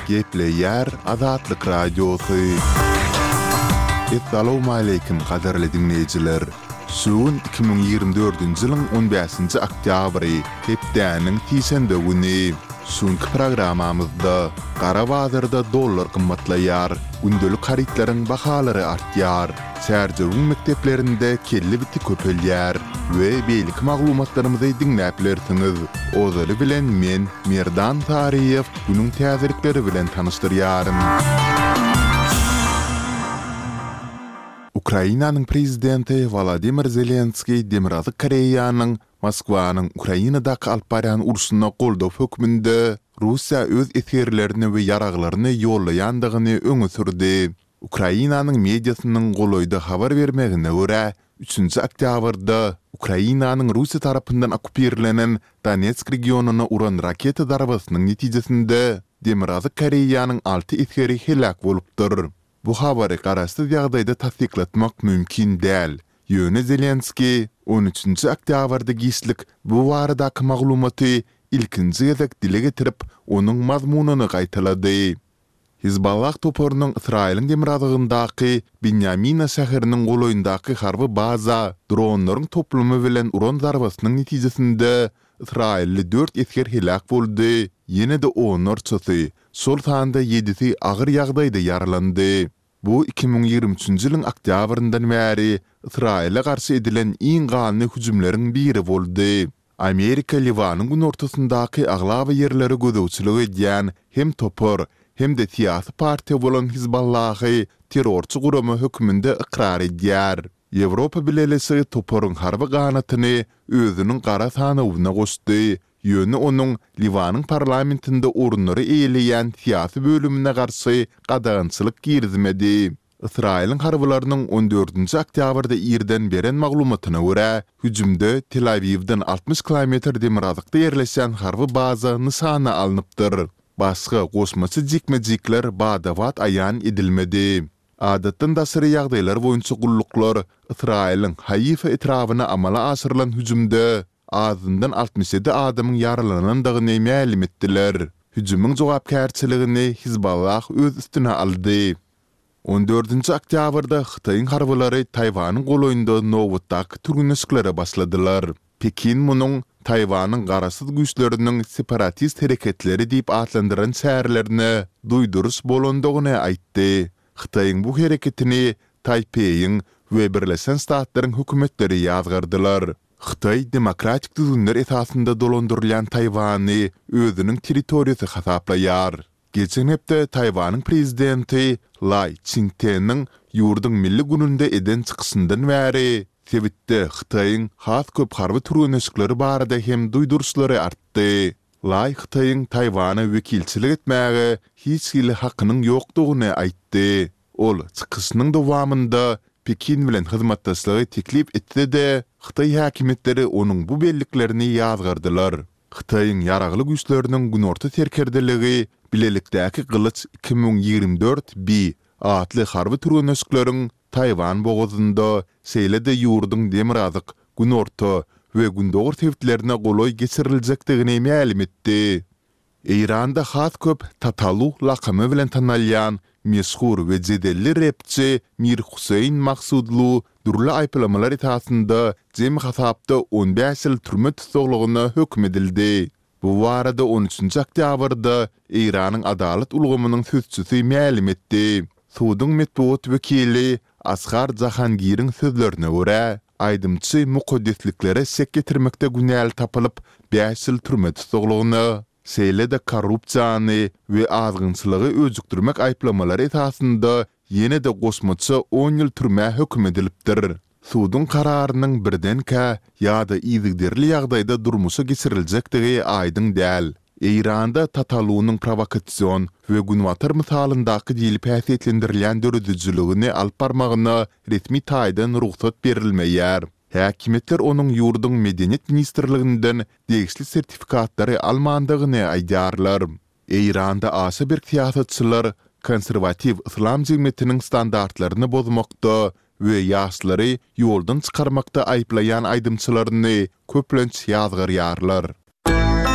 Gepleýär Azatlyk Radiosy. Essalawmaleýkim gadyrly diňleýjiler! Şu gün 2024-nji ýylyň on bäşinji oktýabry, hepdäniň sişenbe güni. Şu günki programmamyzda gara bazarda dollar gymmatlaýar, gündelik harytlaryň bahalary artýar, Çärjewiň mekdeplerinde kelle biti köpelýär we beýleki maglumatlarymyzy diňläp bilersiňiz. Ozaly bilen men, Merdan Saryýew, günüň täzelikleri bilen tanyşdyrýaryn. Ukrainanyň prezidenti Wolodymyr Zelenskiý Demirgazyk Koreýanyň Moskwanyň Ukrainadaky alyp barýan urşuna goldaw hökmünde Russiýa öz esgerlerini we ýaraglaryny ýollaýandygyny öňe sürdi. Ukrainanyň mediasynyň golaýda habar bermegine görä, üçünji oktýabrda Ukrainanyň Russiýa tarapyndan okkupirlenen Donetsk regionyna uran raketa zarbasynyň netijesinde Demirgazyk Koreýanyň alty esgeri heläk bolupdyr. Bu habary garaşsyz ýagdaýda tassyklatmak mümkin däl, ýöne Zelenskiý on üçünji oktýabrda giçlik bu baradaky maglumaty ilkinji gezek dile getirip, onuň mazmunyny gaýtalady. Hizballah toparynyň Ysraýylyň demirgazygyndaky Binýamina şäheriniň golaýyndaky harby baza dronlaryň toplumy bilen uran zarbasynyň netijesinde ysraýylly dört esger heläk boldy, ýene-de onlarçasy, şol sanda ýedisi agyr ýagdaýda ýaralandy. Bu 2023-nji ýylyň oktýabryndan bäri Ysraýyla garşy edilen iň ganly hüjümleriň biri boldy. Amerika Liwanyň günortasyndaky aglaba ýerlere gözegçilik edýän hem topar, hem-de syýasy partiýa bolan Hizballahy terrorçy gurama hökmünde ykrar edýär. Ýewropa Bileleşigi toparyň harby ganatyny özüniň gara sanawyna goşdy, ýöne onuň Liwanyň parlamentinde orunlary eýeleýän syýasy bölümine garşy gadagançylyk girizmedi. Ysraýylyň harbylarynyň on dördünji oktýabrda irden beren maglumatyna görä, hüjümde Tel-Awiwden 60 kilometr demirgazykda ýerleşýän harby baza nyşana alnypdyr. Başga goşmaça jikme-jikler bada-bat aýan edilmedi. Adatdan daşary ýagdaýlar boýunça gulluklar Ysraýylyň Haifa etrabyna amala aşyrylan hüjümde azyndan 67 adamyň ýaralanandygyny mälim etdiler. Hüjümiň jogapkärçiligini Hizballah öz üstüne aldy. On dördünji oktýabrda Hytaýyň harbylary Taýwanyň golaýynda nobatdaky türgenleşiklere başladylar. Pekin munuň Taýwanyň garaşsyz güýçleriniň separatist hereketleri diýip atlandyran çärelerine duýduryş bolandygyny aýtdy. Hytaýyň bu hereketini Taýpeýiň we Birleşen Ştatlaryň hökümetleri ýazgardylar. Hytaý demokratik düzgünler esasynda dolandyrylýan Taýwany özüniň territoriýasy hasaplaýar. Geçen hepde Taýwanyň prezidenti Laý Çing-Teniň ýurduň Milli gününde eden çykyşyndan bäri sebitde Hytaýyň has köp harby türgenleşikleri barada hem duýduryşlary artdy. Laý Hytaýyň Taýwana wekilçilik etmäge hiç hili hakynyň ýokdugyny aýtdy. Ol çykyşynyň dowamynda Pekin bilen hyzmatdaşlygy teklip etse-de, hytaý häkimiýetleri onuň bu belliklerini ýazgardylar. Hytaýyň Ýaragly Güýçleriniň Günorta serkerdeligi Bilelikdäki Gylyç 2024 B atly harby türgenleşikleriň Taýwan bogazynda, şeýle-de ýurduň demirgazyk, günorta we gündogar sebitlerine golaý geçiriljekdigini mälim etdi. Eýranda has köp Tatalu lakamy bilen tanalýan meşhur we jedelli repçi Mir Huseýn Maksudlu dürli aýyplamalar esasynda jemi hasapda 15 ýyl türme tussaglygyna höküm edildi. Bu barada on üçünji oktýabrda Eýranyň adalat ulgamynyň sözçüsi mälim etdi. Suduň metbugat wekili Asghar Jahangiriň sözlerine görä, aýdymçy mukaddesliklere şek ýetirmekde günäli tapylyp, bäş ýyl türme tussaglygyna, şeýle-de korrupsiýany we azgynçylygy öjükdirmek aýyplamalary esasynda ýene-de goşmaça on ýyl türmä höküm edilipdir. Suduň kararynyň birdenkä ýa-da yzygiderli ýagdaýda durmuşa geçiriljekdigi aýdyň däl. Eýranda Tatalunyň prowokasion we Günbatar mysalyndaky diýlip häsiýetlendirilýän döredijiligini alyp barmagyna resmi taýdan rugsat berilmeýär. Häkimiýetler onuň ýurduň Medeniýet ministrliginden degişli sertifikatlary almandygyny aýdýarlar. Eýranda aşa berk syýasatçylar konserwatiw yslam jemgyýetiniň standartlaryny bozmakda we ýaşlary ýoldan çykarmakda aýyplaýan aýdymçylaryny köplenç ýazgarýarlar.